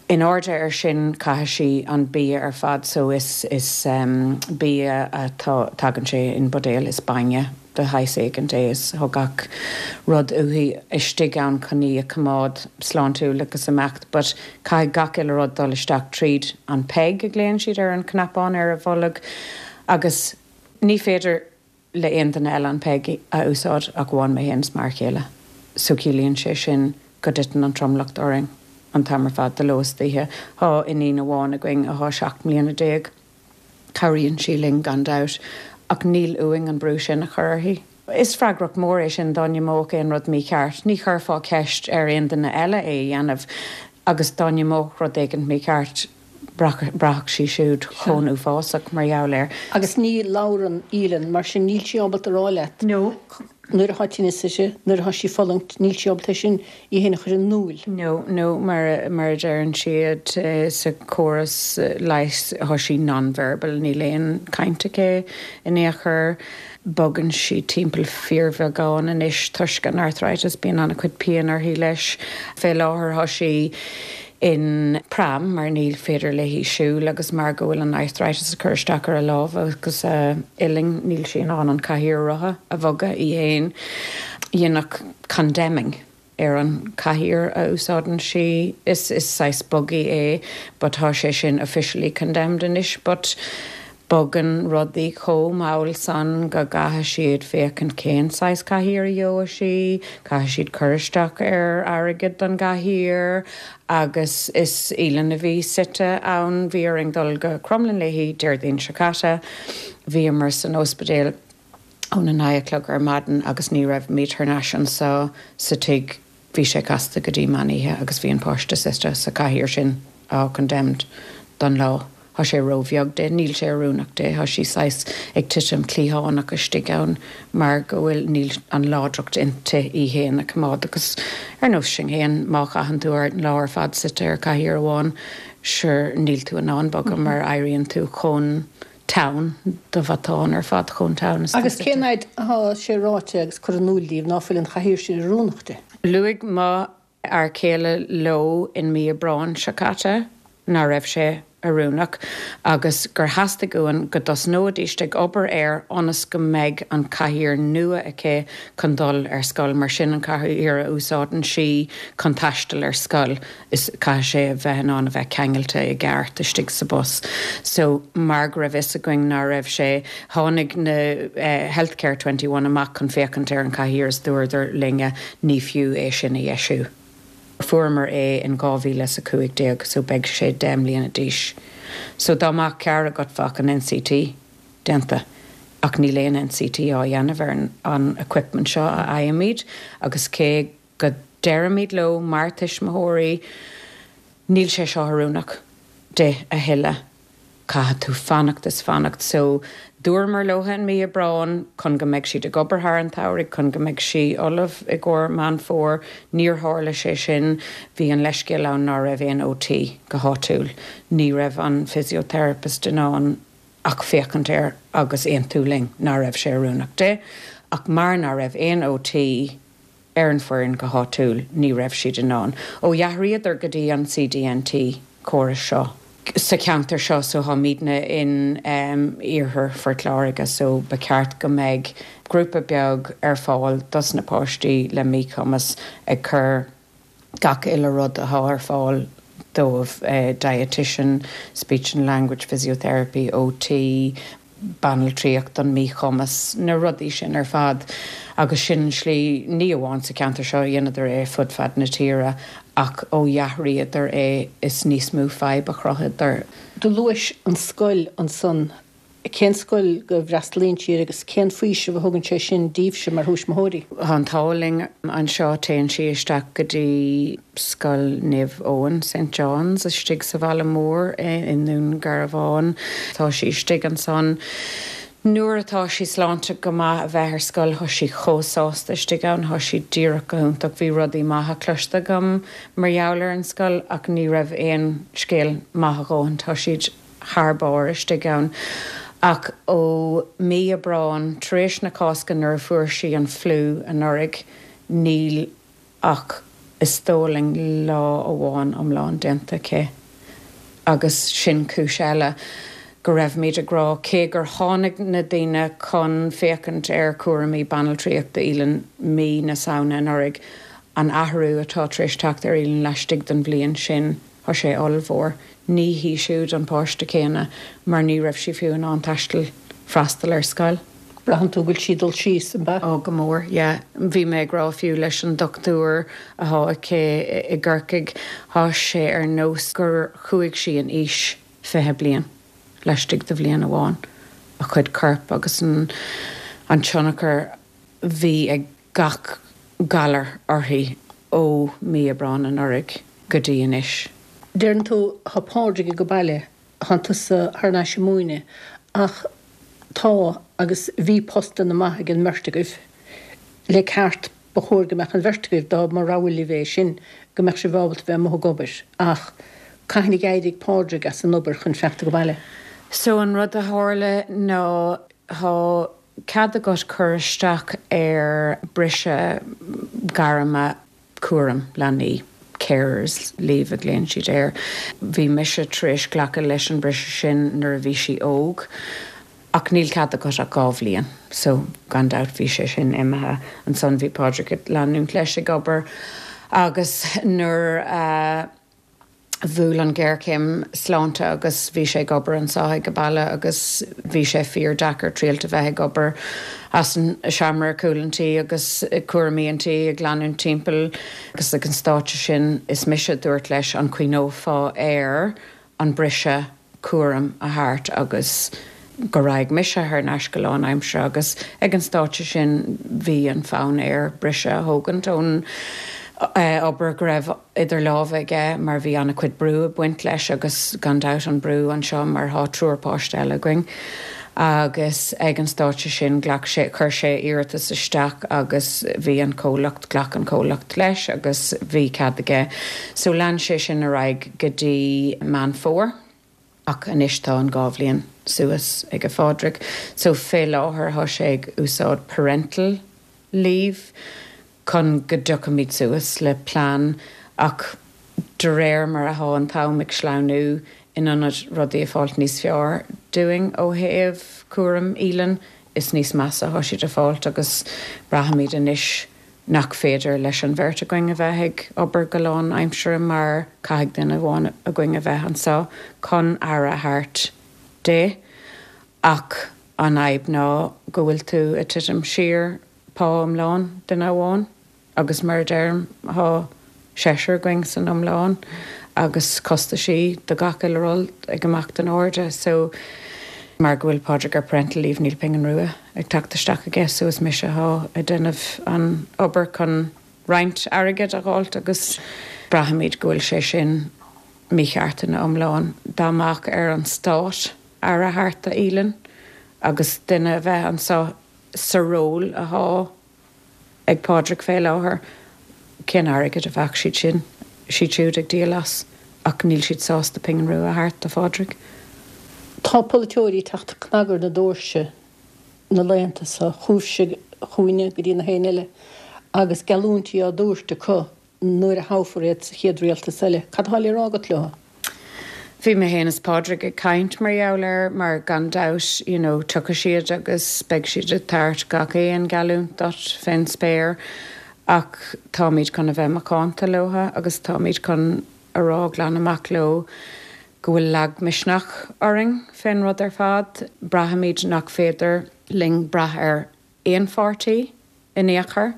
In airde ar sin caithfidh sí an bia ar fad so is is um, bia atá tagann sé in buidéal is bainne de shaghas éigin é is tá gach rud uaithi istigh ann chun í a choimeád sláintiúil agus imeacht, but caithfidh gach uile rud dul isteach tríd an PEG a ghlaonn siad ar an cnapán ar a bholg agus ní féidir le aon duine eile an PEG a úsáid ach amháin mé féin is m'fhear céile. So ciallaíonn sé sin go dtiteann an tromlach orainn an t-am ar fad de ló is d'oíche Tá iníon amháin againn atá seacht mbliana déag. Cabhraíonn sí linn gan dabht ach níl uainn an brú sin a chur uirthi. Is freagracht mór é sin dá n-imeodh aon rud mícheart, ní chuirfeá ceist ar aon duine eile é a dhéanamh agus dá n-imeodh rud éigin mícheart braithfeadh sí siúd chomh uafásach mar gheall air. Agus ní labhrann Aoileann mar sin níl sí ábalta rá leat. No. Nuair atá tinneas uirthi, nuair atá sí ag fulaingt, níl sí ábalta sin í féin a chur in iúl. No, no, mar mar a deireann siad sa chóras leighis, tá sí non-verbal, níl aon caint aici in aon chor. Bogann sí timpeall fíorbheagán anois toisc an arthritis, bíonn an-chuid pian uirthi leis. Fé láthair tá sí in pram mar níl féidir léi siúl agus mar go bhfuil an arthritis ag cur isteach ar a lámh agus a uillinn níl sí in ann an cathaoir rotha a bhogadh í féin. Dhéanadh condemning ar an cathaoir a úsáideann sí is is saghas buggy é but tá sé sin officially condemned anois but bogann rudaí chomh mall san go gcaithfidh siad féachaint cén saghas cathaoir a gheobhaidh sí, caithfidh siad cur isteach ar airgead don gcathaoir agus is Aoileann a bhí suite ann, bhí orainn dul go Crumlin léi Déardaoin seo caite, bhíomar san ospidéal óna naoi a chlog ar maidin agus ní raibh thar n-ais anseo sa tigh bhí sé casta go dtí meán oíche agus bhí an páiste suite sa cathaoir sin á condemned don lá. Tá sé róbheag di, níl sé oiriúnach di, tá sí saghas ag titim cliathánach istigh ann mar go bhfuil níl an láidreacht inti í féin a choimeád agus ar nós sin féin má chaitheann tú ar lá ar fad suite ar cathaoir amháin sure níl tú in ann bogadh mar éiríonn tú chomh teann do bhatán ar fad chomh teann. Agus cén fhad atá sé ráite agus curtha in iúl daoibh ná fuil an chathaoir sin oiriúnach di? Luaigh mo fhear céile leo in mí Aibreáin seo caite ná raibh sé oiriúnach agus gur theastaigh uainn go dtosnóidís ag obair air ionas go mbeidh an cathaoir nua aici chun dul ar scoil mar sin an cathaoir a úsáideann sí chun taisteal ar scoil is caithfidh sé a bheith in ann a bheith ceangailte i gceart istigh sa bus. So mar go raibh fhios againn ná raibh sé tháinig na uh, Healthcare twenty one amach chun féachaint ar an cathaoir is dúradar linne ní fiú é sin a dheisiú. Fuaireamar é in dhá mhíle is a cúig déag so beidh sé deich mbliana d'aois. So dá mbeadh cead agat bheadh an N C T déanta ach níl aon N C T á dhéanamh ar an, an equipment seo a fhaighimid agus cé go deirimid leo mar tuismitheoirí níl sé seo oiriúnach di a thuilleadh. Caithfidh tú fanacht is fanacht so dúramar leo in mí Aibreáin chun go mbeidh siad ag obair thar an tsamhradh chun go mbeidh sí ullamh i gcomhair Meán Fómhair níor tharla sé sin bhí an leithscéal ann ná raibh aon O T go háitiúil. Ní raibh an physiotherapist in ann ach féachaint air agus aontú linn ná raibh sé oiriúnach di, ach mar ná raibh aon O T ar an foireann go háitiúil ní raibh siad in ann. Ó d'athraíodar go dtí an C D N T córas seo. Sa cheantar seo so táimidne in um, iarthar Phort Láirge so ba cheart go mbeidh grúpa beag ar fáil dos na páistí le míchumas ag cur gach uile rud atá ar fáil dóibh uh, dietitian, speech and language physiotherapy, O T, banaltraíocht an míchumas na rudaí sin ar fad agus sin slí ní amháin sa cheantar seo dhéanadar é fud fad na tíre ach ó d'athraíodar é is níos mó fadhb a chruthaíodar. Do luais an scoil ansan cén scoil go bhfreastalaíonn sí agus cén faoiseamh a thugann sé sin daoibhse mar thuismitheoirí. Tá an t-ádh linn anseo téann sí isteach go dtí Scoil Naomh Eoin Saint John's istigh sa bhaile mór i nDún Garbhán. Tá sí istigh ansan. Nuair atá sí sláinte go maith a bheith ar scoil tá sí chomh sásta istigh ann tá sí díreach go hiontach bhí rudaí maithe cloiste agam mar gheall ar an scoil ach ní raibh aon scéal maith a dhóthain tá siad thar barr istigh ann. Ach ó mí Aibreáin tar éis na Cásca nuair a fuair sí an fliú anuraidh níl ach is dóigh liom lá amháin iomlán déanta aici. Agus sin cúis eile go raibhimid ag rá cé gur tháinig na daoine chun féachaint ar chúraimí banaltraíochta Aoileann mí na Samhna anuraidh an athrú atá tar éis teacht ar Aoileann laistigh den bhliain sin tá sé ollmhór. Ní hí siúd an páiste céanna mar ní raibh sí fiú in ann taisteal freastal ar scoil. Braitheann tú go bhfuil sí dul síos an ba? Ó go mór, yeah. Bhí mé ag rá fiú leis an dochtúir atá aici i gCorcaigh tá sé ar nós gur chuaigh sí in aois fiche bliain. Laistigh de bhliain amháin a chuid coirp agus an an tionchar bhí ag gach galar uirthi ó mí Aibreáin anuraidh go dtí anois. Deireann tú tá Pádraig ag baile tá tusa thar n-ais ag múineadh ach tá agus bhí postanna maith ag an mbeirt agaibh. Le ceart ba chóir go mbeadh an bheirt agaibh dá mba rogha libh é sin, go mbeadh sibh ábalta bheith amuigh ag obair ach cathain a d'éirigh Pádraig as an obair chun feacht go baile? So an rud a tharla ná tá cead agat cur isteach ar briseadh gairme cúram leanaí. Carers leave a ghlaonn siad air. Bhí mise tar éis glacadh leis an briseadh sin nuair a bhí sí óg. Ach níl cead agat ach dhá bhliain, so gan dabht bhí sé sin imithe. Ansan bhí Pádraig ag leanúint leis ag obair agus nuair a bhuail an ghéarchéim sláinte agus bhí sé ag obair anseo ag baile agus bhí sé fíordeacair triailt a bheith ag obair as an seomra cúl an tí agus cúraimí an tí ag leanúint timpeall agus ag an stáitse sin is mise a dúirt leis an cuimhneofá ar an briseadh cúram a thabhairt agus go raghadh mise thar n-ais go lánaimseartha agus ag an stáitse sin bhí an fonn air briseadh a thógaint ón obair go raibh idir lámha aige mar bhí an-chuid brú ag baint leis agus gan dabht an brú anseo mar thá triúr páiste eile againn. Agus ag an stáitse sin ghlac sé chuir sé iarratas isteach agus bhí an comhlacht ghlac an comhlacht leis agus bhí cead aige. So lean sé sin ar aghaidh go dtí Meán Fómhair. Ach anois tá an dhá bhliain suas ag Phádraig, so fé láthair thá sé ag úsáid parental leave chun go dtiocfaimid suas le plean ach de réir mar athá an t-am ag sleamhnú in ionad rudaí a fáilt níos fearr dúinn ó thaobh cúram Aoileann is níos measa thá siad a fáilt agus braithimid anois nach féidir leis an bheirt againn a bheith ag obair go lánaimseartha mar caithfidh duine amháin againn a bheith anseo chun aire a thabhairt di ach an fhadhb ná go bhfuil tú ag titim siar pá iomlán duine amháin agus mar a deirim thá seisear againn san iomlán agus costaisí do gach uile rud ag imeacht in airde so mar go bhfuil Pádraig ar parental leave níl pingin rua ag teacht isteach aige so is mise athá ag déanamh an obair chun roinnt airgid a fháilt agus braithimid go bhfuil sé sin mícheart ina iomlán dá mbeadh ar an stát aire a thabhairt d'Aoileann agus duine a bheith anseo sa ról athá ag Pádraig fé láthair cén airgead a bheadh siad sin siad siúd ag díol as ach níl siad sásta pingin rua a thabhairt do Phádraig. Tá polaiteoirí ag teacht ag cnagadh ar na doirse na laethanta seo chugaibhse chugainne go dtí na héinne eile agus geallúintí á dtabhairt acu nuair a thoghfar iad sa chéad rialtas eile. Cad atá le rá agat leo? Bhí mé féin is Pádraig ag caint mar gheall air mar gan dabht you know, tiocfaidh siad agus beidh siad ag tabhairt gach aon gheallúint duit fén spéir ach táimid chun a bheith macánta leo agus táimid chun a rá glan amach leo go bhfuil lagmhisneach orainn fén rud ar fad. Braithimid nach féidir linn brath ar aon pháirtí in aon chor.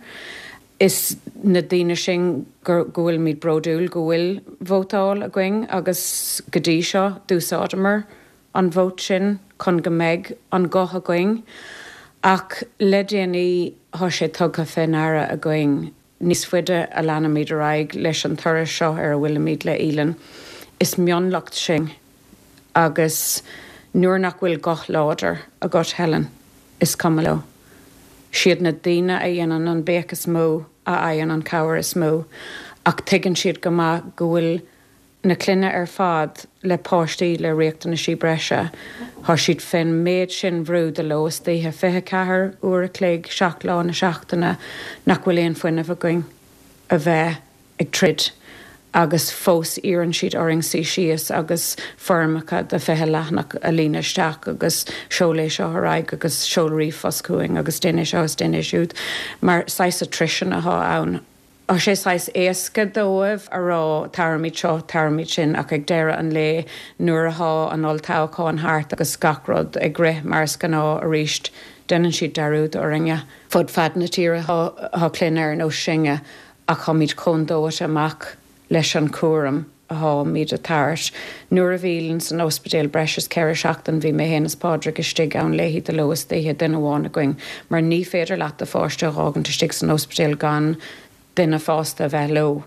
Is na daoine sin go bhfuilimid bródúil go bhfuil vótáil againn agus go dtí seo d'úsáideamar an vóta sin chun go mbeidh an guth againn. Ach le déanaí thá sé tugtha fé ndeara againn níos faide a leanaimid ar aghaidh leis an turas seo ar a bhfuilimid le Aoileann. Is mionlach sinn agus nuair nach bhfuil guth láidir agat Helen, is cuma leo. Siad na daoine a dhéanann an béic is mó a fhaigheann an cabhair is mó, ach tuigeann siad go maith go bhfuil na clainne ar fad le páistí le riachtanaisí breise. Thá siad fén méid sin bhrú de ló is d'oíche fiche ceathair uair a chloig seacht lá na seachtaine nach bhfuil aon fuinneamh againn a bheith ag troid agus fós iarrann siad orainn suí síos agus foirmeacha de fiche leathanach a líonadh isteach agus seol é seo ar aghaidh agus seol ríomhphost chugainn agus déan é seo is déan é siúd mar saghas attrition athá ann. Tá sé saghas éasca dóibh a rá tabharfaimid seo, tabharfaimid sin ach ag deireadh an lae nuair athá an olltoghchán thart agus gach rud ag rith mar is gnáth arís déanann siad dearúd orainne. Fud fad na tíre thá clainne ar nós sinne ach tháimid chomh dóite amach leis an chúram atháimid a thabhairt. Nuair a bhí Aoileann san ospidéal breis is ceithre seachtain bhí mé féin is Pádraig istigh ann léi de ló is d'oíche duine amháin againn mar ní féidir leat do pháiste a dh'fhágaint istigh san ospidéal gan duine fásta a bheith leo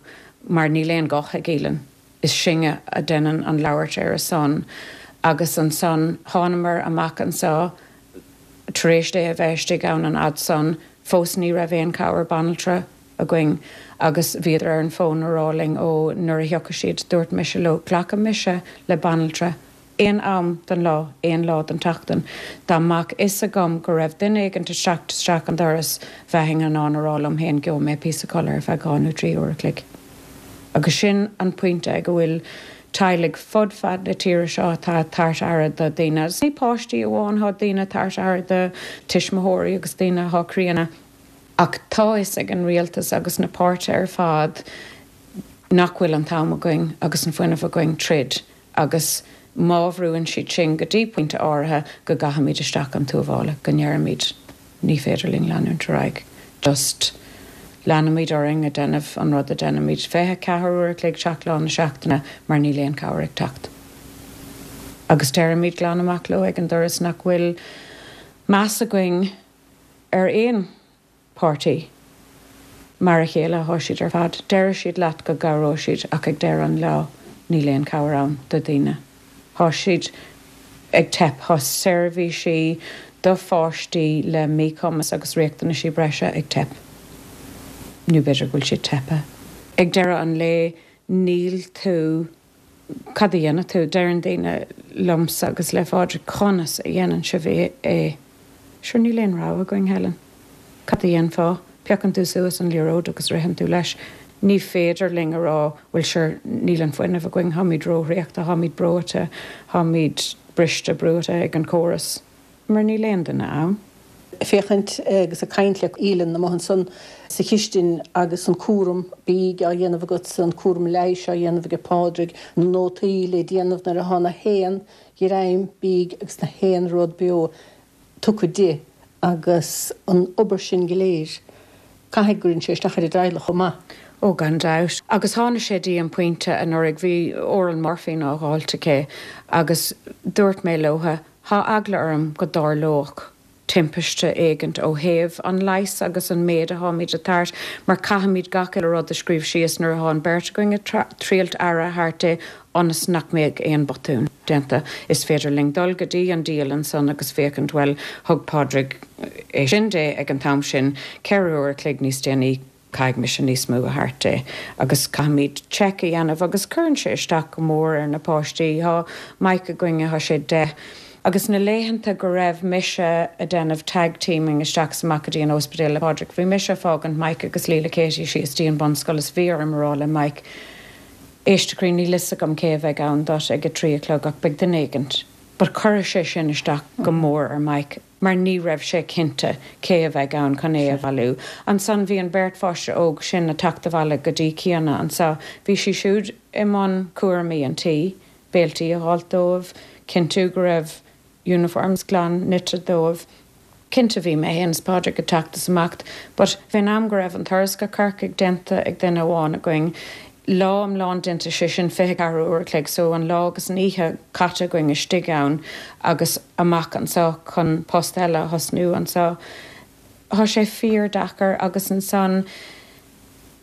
mar níl aon ghuth ag Aoileann. Is sinne a deineann an labhairt ar a son. Agus ansan thánamar amach anseo tar éis di a bheith istigh ann an fhad san Fós ní raibh aon cabhair banaltra againn agus bhíodar ar an bhfón ag rá linn ó nuair a thiocfadh siad dúirt mise leo glacfaidh mise le banaltra aon am den lá aon lá den tseachtain. Dá mbeadh fhios agam go raibh duine éigin ag teacht isteach an doras bheinn in ann a rá liom féin gheobhaidh mé píosa codladh ar feadh dhá nó trí uair a chloig. Agus sin an pointe ag go bhfuil teaghlaigh fud fad na tíre seo atá ag tabhairt aire do daoine. Ní páistí amháin tá daoine ag tabhairt aire do tuismitheoirí agus daoine atá críonna. Ach tá fhios ag an rialtas agus na páirtithe ar fad nach bhfuil an t-am againn agus an fuinneamh againn troid agus má bhrúnn siad sin go dtí pointe áirithe go gcaithfimid isteach an tuáille go ndéarfaimid ní féidir linn leanúint ar aghaidh. Just leanfaimid orainn ag déanamh an rud a déanaimid fiche ceathair uair a chloig seacht lá na seachtaine mar níl aon cabhair ag teacht. Agus deirimid glan amach leo ag an doras nach bhfuil meas againn ar aon páirtí. Mar a chéile thá siad ar fad, deir siad leat go gcabhróidh siad ach ag deireadh an lá níl aon cabhair ann do daoine. Thá siad ag teip thá seirbhísí do pháistí le míchumas agus riachtanaisí breise ag teip. Nó b'fhéidir go bhfuil siad teipthe. Ag deireadh an lae níl tú cad a dhéanann tú deireann daoine liomsa agus le Phádraig conas a dhéanann sibh é. Sure níl aon rogha againn Helen. Cad a dhéanfá, piocann tú suas an liathróid agus ritheann tú leis. Ní féidir linn a rá bhfuil sure níl an fuinneamh againn tháimid róthraochta, tháimid breoite, tháimid briste brúite ag an córas, mar níl aon duine ann. Féachaint agus ag caint le Aoileann amuigh ansan sa chistin agus an cúram bídh á dhéanamh agat an cúram leighis á dhéanamh ag Pádraig, na nótaí le déanamh nuair atá na haon ghreim bídh agus na haon rud beo tugtha di agus an obair sin go léir, caithfidh go gcuireann sé isteach ar an dteaghlach chomh maith. Ó gan dabht. Agus tháinig sé dtí an pointe anuraidh, bhí oral morphine á dháilt aici agus dúirt mé leotha, thá eagla orm go dtarlódh timpiste éigint ó thaobh an leighis agus an méid atáimid ag tabhairt, mar caithfimid gach uile rud a scríobh síos nuair atá an bheirt againn ag triailt aire a thabhairt di ionas nach mbeadh aon botún déanta. Is féidir linn dul go dtí an dialann san agus féachaint, bhuel, thug Pádraig é sin di ag an t-am sin, ceithre uair a chloig níos déanaí, caithfidh mise níos mó a thabhairt di agus caithfimid check a dhéanamh agus cuireann sé isteach go mór ar na páistí. Tá Mike againne, tá sé deich. Agus na laethanta go raibh mise ag déanamh tag teaming isteach is amach go dtí an ospidéal le Pádraig, bhí mise ag fágaint Mike agus Leila Katie síos dtí an bunscoil is bhí orm a rá le Mike, éist a chroí, níl fhios agam cé a bheidh ann duit ag a trí a chlog ach beidh duine éigint. But chuir sé sin isteach go mór ar Mike mar ní raibh sé cinnte cé a bheidh ann chun é a bhailiú. Ansan bhí an bheirt pháiste óg sin ag teacht abhaile go dtí Ciana anso. Bhí sí siúd i mbun cúraimí an tí, béiltí a dháilt dóibh, cinntiú go raibh uniforms glan nite dóibh. Cinnte bhí mé féin is Pádraig ag teacht is amach, but fén am go raibh an turas go Corcaigh déanta ag duine amháin againn, lá iomlán déanta, sé sin fiche ceathair uair a chloig, so an lá agus an oíche caite againn istigh ann agus amach anseo chun post eile a thosnú anseo. Tá sé fíor-deacair agus ansan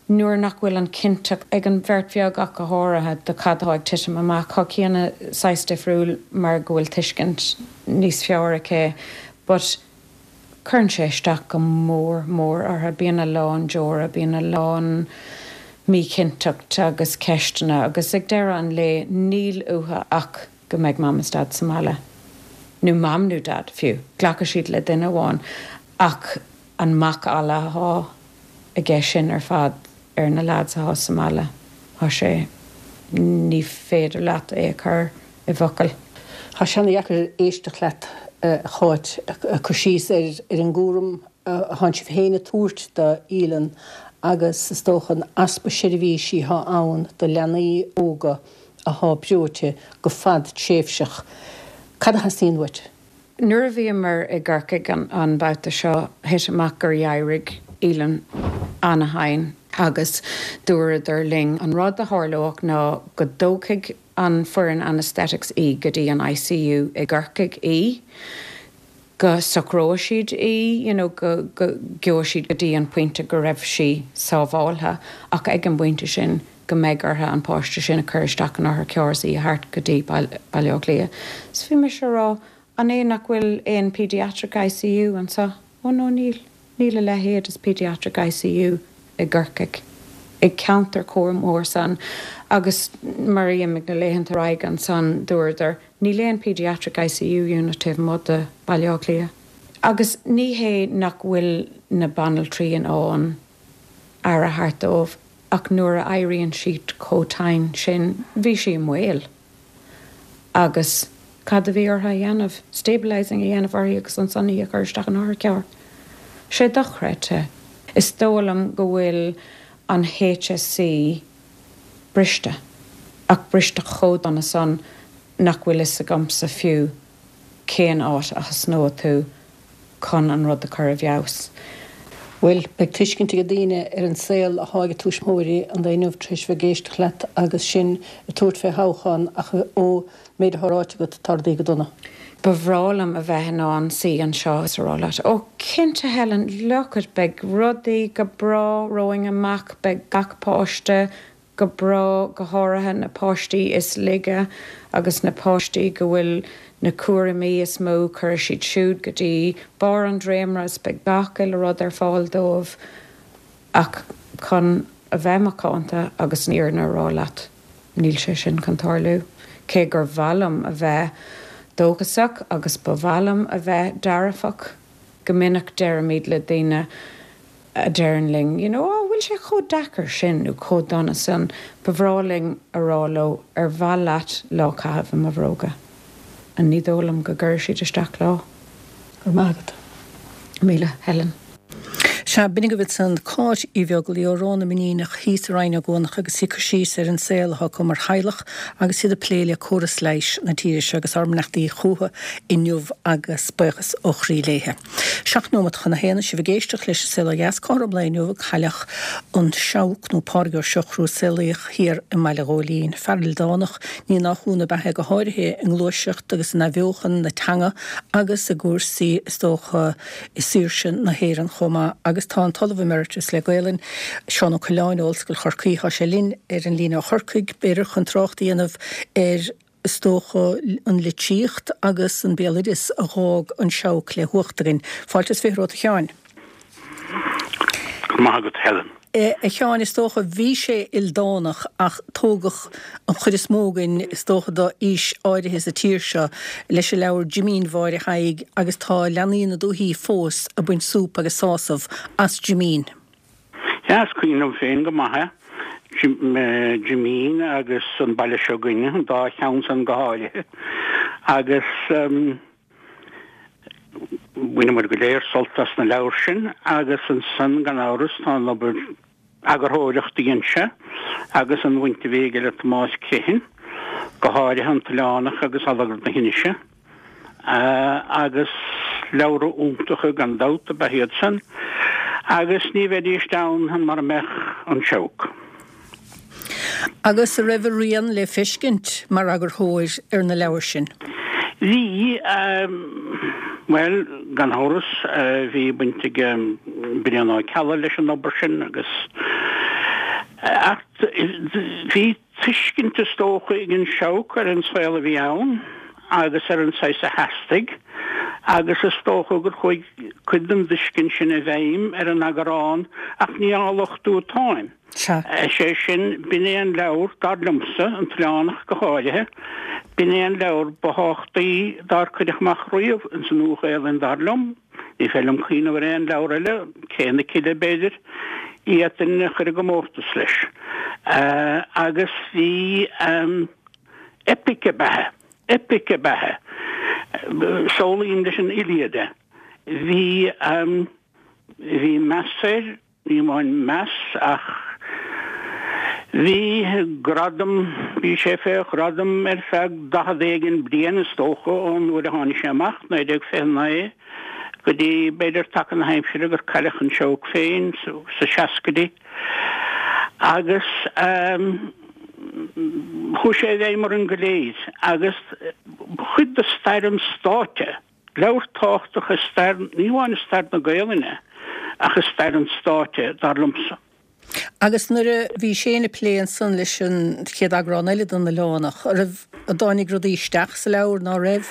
nuair nach bhfuil an chinnteacht ag an bheirt bheag ach go háirithe de cad atá ag titim amach. Tá Ciana saghas difriúil mar go bhfuil tuiscint níos fearr aici but cuireann sé isteach go mór mór orthu. Bíonn a lán deora, bíonn a lán míchinnteacht agus ceisteanna agus ag deireadh an lae níl uathu ach go mbeidh mam is dad sa mbaile. Nó mam nó dad fiú. Glacfaidh siad le duine amháin ach an macalla atá aige sin ar fad ar na lads atá sa mbaile. Tá sé ní féidir leat é a chur i bhfocail. Tá sé an-dheacair éisteacht leat a Cháit ag cur síos ar ar an gcúram a thánn sibh féin ag tabhairt d'Aoileann agus is dócha an easpa seirbhísí atá ann do leanaí óga atá breoite go fadtréimhseach. Cad a theastaíonn uait? Nuair a bhíomar i gCorcaigh an babhta seo, thit amach gur éirigh Aoileann ana-thinn agus dúradar linn an rud a tharlódh ná go dtógfaidh an foireann anaesthetics í go dtí an ICU i gCorcaigh í, go socróidh siad í, you know, go go gheobhaidh siad go dtí an pointe go raibh sí sábháltha ach ag an bpointe sin go mbeidh orthu an páiste sin a chur isteach in otharcharr is í a thabhairt go dtí Baile Átha Cliath. So bhí mise a rá, an é nach bhfuil aon paediatric ICU anseo? Ó no níl. Níl a leithéid is Pediatric I C U i gCorcaigh, i gceantar chomh mór san. Agus mar imigh na laethanta ar aghaidh ansan, dúradar níl aon Pediatric I C U unit taobh amuigh de Baile Átha Cliath. Agus ní hé nach bhfuil na banaltraí in ann aire a thabhairt dóibh, ach nuair a éiríonn siad chomh tinn sin, bhí sí i mbaol. Agus cad a bhí orthu a dhéanamh? Stabilising a dhéanamh uirthi agus ansan í a chur isteach in otharcharr. Sé dochreidte. Is dóigh liom go bhfuil an H S E briste, ach briste chomh dona san nach bhfuil fhios agamsa fiú cén áit a thosnóidh tú chun an rud a chur i bhfeabhas. Bhuel, beidh tuiscint ag daoine ar an saol atá ag tuismitheoirí an lae inniu tar éis bheith ag éisteacht leat agus sinn ag tabhairt fé thoghchán, ach ó méid atá ráite agat, tá rudaí go dona. Ba bhreá liom a bheith in ann suí anseo is a rá leat, "Ó cinnte, Helen, look it, beidh rudaí go breá romhainn amach, beidh gach páiste go breá, go háirithe na páistí is laige agus na páistí go bhfuil na cúraimí is mó, cuirfidh siad siúd go dtí barr an dréimire is beidh gach uile rud ar fáil dóibh." Ach chun a bheith macánta agus an fhírinne a rá leat, níl sé sin chun tarlú. Cé gur mhaith liom a bheith dóchasach agus ba mhaith liom a bheith dearfach, go minic deirimid le daoine a deireann linn, you know, "Á, bhfuil sé chomh deacair sin nó chomh dona sin?" ba bhreá linn a rá leo, "Ar mhaith leat lá caitheamh i mo bhróga?" And ní dóigh liom go gcuirfidh siad isteach lá. Go raibh maith agat. Míle, Helen. Sea, b'in agaibh ansan Cáit Uí Bheaglaoi ó Ró na Mainíneach thíos i Rinn Ó gCuanach agus í ag cur síos ar an saol atá acu mar theaghlach agus iad ag plé le córas leighis na tíre seo agus ár mbeannachtaí chuici inniu agus buíochas ó chroí léithe. Seacht nóiméad chun a haon, sibh ag éisteacht leis An Saol Ó Dheas. Cothrom lae inniu, cailleadh an Seabhac nó Pádraig Ó Siochrú, a saolaíodh thiar i mBaile Ghóilín. Fear ildánach, ní nach ionadh ab ea é, go háirithe i ngluaiseacht agus in athbheochan na teanga agus i gcúrsaí, is dócha, i saoirse na hÉireann chomh maith. Agus tá an tOllamh Emeritus le Gaelainn, Seán Ó Coileáin ó Ollscoil Chorcaí, tá sé linn ar an líne ó Chorcaigh, b'fhéidir chun trácht a dhéanamh ar, is dócha, an litríocht agus an béaloideas a dh'fhág an Seabhac le huacht againn. Fáilte is fiche romhat, a Sheáin. Go raibh maith agat, Helen. A Sheáin, is dócha, bhí sé ildánach ach tógadh an chuid is mó againn, is dócha, d'aois áirithe sa tír seo leis an leabhar Jimín Mháire Thaidhg agus tá leanaí na dúichí fós ag baint súp agus sásamh as Jimín. Sea, is cuimhin liom féin go maith é, Jimín agus An Baile Seo Againne, an dá cheann san go háirithe. Agus bhaineamar go léir sult as na leabhair sin agus ansan, gan amhras, tá an obair eagarthóireachta a dhein sé agus an bhaint a bhí aige le Tomás Criomhthain, go háirithe An tOileánach agus Allagar na hInise, agus leabhra iontacha gan dabht ab ea iad san agus ní bheidíst ann mara mbeadh an Seabhac. Agus a raibh a rian le feiscint mar eagarthóir ar na leabhair sin? Bhí, bhuel, gan amhras, bhí baint ag Brian Ó Ceallaigh leis an obair sin agus, ach bhí tuiscint is dócha ag an Seabhac ar an saol a bhí ann agus ar an saghas a theastaigh agus is dócha gur chuaigh cuid den dtuiscint sin i bhfeidhm ar an eagrán, ach ní á lochtú atáim. Sea. Is é sin, b'in é an leabhar, dar liomsa, An tOileánach go háirithe, b'in é an leabhar ba thábhachtaí dár cuireadh amach riamh ins an Nua-Ghaelainn, dar liom. Ní féidir liom cuimhneamh ar aon leabhar eile, Cré na Cille, b'fhéidir, a d'fhéadfainn a chur i gcomórtas leis. Agus bhí eipic ab ea é, eipic ab ea é. Samhlaím leis an Iliad é. Bhí, bhí meas air. Ní amháin meas ach bhí gradam, bhí sé fé ghradam ar feadh daichead éigin bliain is dócha ón uair a tháinig sé amach, naoi déag fiche naoi, go dtí b'fhéidir taca na haimsire gur cailleadh an Seabhac féin sa seascaidí. Agus chuaigh sé i bhfeidhm orainn go léir agus ba chuid de stair an stáit é. Leabhar tábhachtach i stair, ní hamháin i stair na Gaelainne, ach i stair an stáit é, dar liomsa. Agus nuair a bhí Shane ag plé ansan leis an chéad eagrán eile den Oileánach, an raibh, an dtáinig rudaí isteach sa leabhar ná raibh?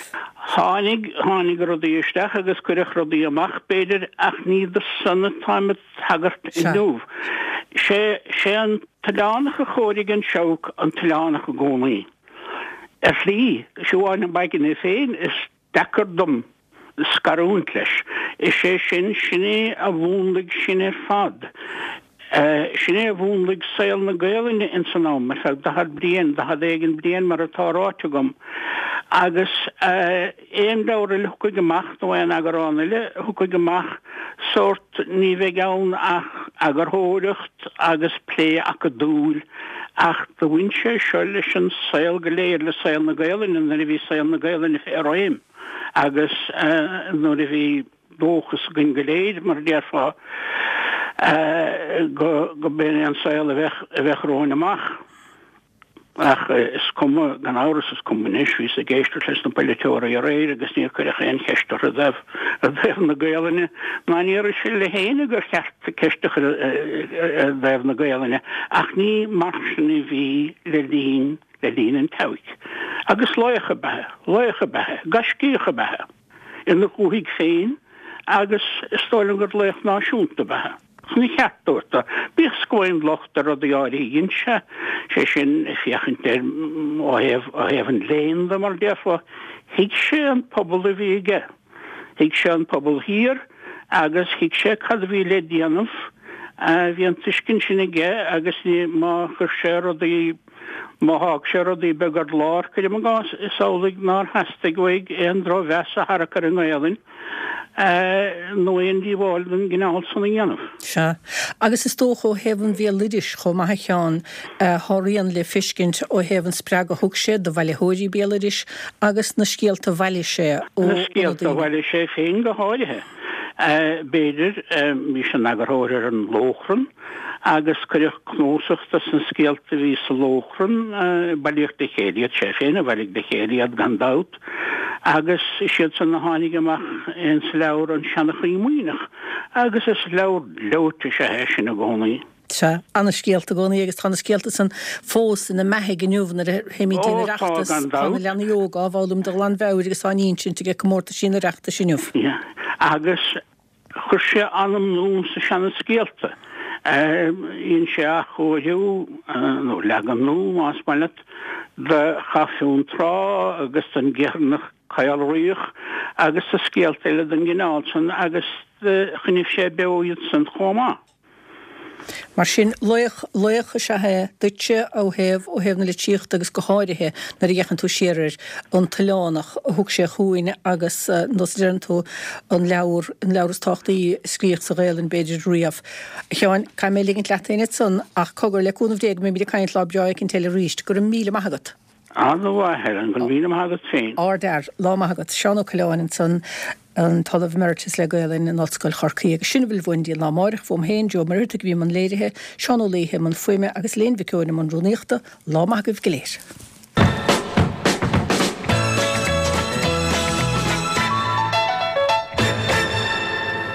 Tháinig, tháinig rudaí isteach agus cuireadh rudaí amach, b'fhéidir, ach ní do san atáim ag tagairt inniu. Sé, sé an tOileánach a chóirigh an seabhac an tOileánach i gcónaí. Ar shlí, Siubhán Maidhcín é féin, is deacair dom scarúint leis. Is é sin, sin é a mhúnlaigh sinn ar fad. Sin é a mhúnlaigh saol na Gaelainne ins an am, ar feadh daichead bliain, daichead éigin bliain mar atá ráite agam. Agus aon leabhar eile a thiocfaidh amach, nó aon eagrán eile a thiocfaidh amach, sórt, ní bheidh ann ach eagarthóireacht agus plé acadúil, ach do bhain sé seo leis an saol go léir, le saol na Gaelainne nuair a bhí saol na Gaelainne fé réim agus nuair a bhí dóchas againn go léir, mar a déarfá, go b'in é an saol a bheadh a bheadh romhainn amach. Ach is cuma, gan amhras, is cuma anois, bhíos ag éisteacht leis na polaiteoirí aréir agus níor cuireadh aon cheist orthu i dtaobh i dtaobh na Gaelainne, ná níor shíl éinne gur cheart ceist a chur i dtaobh na Gaelainne, ach ní mar sin a bhí le linn le linn an tSeabhaic. Agus laoch ab ea é, laoch ab ea é, gaiscíoch ab ea é. Ina dhúthaigh féin agus is dóigh liom gur laoch náisiúnta ab ea é. Chun a cheart a thabhairt dó, bíodh is go bhfaighinn locht ar rudaí áirithe a dhein sé, sé sin, ag féachaint air ó thaobh, ó thaobh an léinn de, mar a déarfá, thuig sé an pobal a bhí aige, thuig sé an pobal thiar agus thuig sé cad a bhí le déanamh, bhí an tuiscint sin aige agus ní, má chuir sé rudaí, Má thug sé rudaí beaga ar lár, cuirim i gcás, is amhlaidh nár theastaigh uaidh aon drochmheas a tharrac ar an nGaelainn nó aon díobháil den gcineál san a dhéanamh. Sea. Agus is dócha ó thaobh an bhéaloidis chomh maith a Sheáin, tá a rian le feiscint ó thaobh an spreagadh a thug sé do bhailitheoirí béaloidis agus na scéalta a bhailigh sé ó Na scéalta a bhailigh sé féin go háirithe. B'fhéidir, bhí sé ina eagarthóir ar An Lóchrann agus cuireadh cnuasach dos na scéalta a bhí sa Lóchrann, bailíodh le chéile iad, sé féin a bhailigh le chéile iad gan dabht, agus is iad san a tháinig amach ins leabhar An Seanchaí Muimhneach agus is leabhar gleoite is ea é sin i gcónaí. Sea, ana-scéalta i gcónaí agus tá na scéalta san fós ina mbeathaigh inniu nuair a théimid dtí'n Ó, tá, Oireachtas, gan tá na dabht. leanaí óga á bhfoghlaim de ghlanmheabhair agus á n-insint ag comórtaisí an Oireachtais inniu. Yeah. Agus chuir sé anam nua sna seana-scéalta. Dhein sé athchóiriú, nó leagan nua, más maith leat, de Chath Fionntrá agus den gCeithearnach Caolraoch agus de scéalta eile den gcineál san agus choinnigh sé beo iad san chomh maith. Mar sin, laoch, laoch is ea é duitse ó thaobh, ó thaobh na litríochta agus go háirithe nuair a fhéachann tú siar ar An tOileánach a thug sé chugainn agus, nós a deireann tú, an leabhar, an leabhar is tábhachtaí a scríodh sa Ghaelainn b'fhéidir riamh. A Sheáin, caithfidh mé ligint leat féin ansan ach cogar, le cúnamh Dé go mbeimid ag caint lá breá éicint eile arís. Go raibh míle maith agat. Ana-mhaith, Helen, go raibh míle maith agat féin. Ardfhear. Lá maith agat. Seán Ó Coileáin ansan, an tOllamh Emeritus le Gaelainn in Ollscoil Chorcaí. Agus sin a bhfuil uainn go dtí an lá amáireach. Fúm féin, Joe Ó Muircheartaigh a bhí i mbun léirithe, Seán Ó Laoithe i mbun fuaime agus Elaine Mhic Eoin i mbun rúnaíochta. Lá maith agaibh go léir.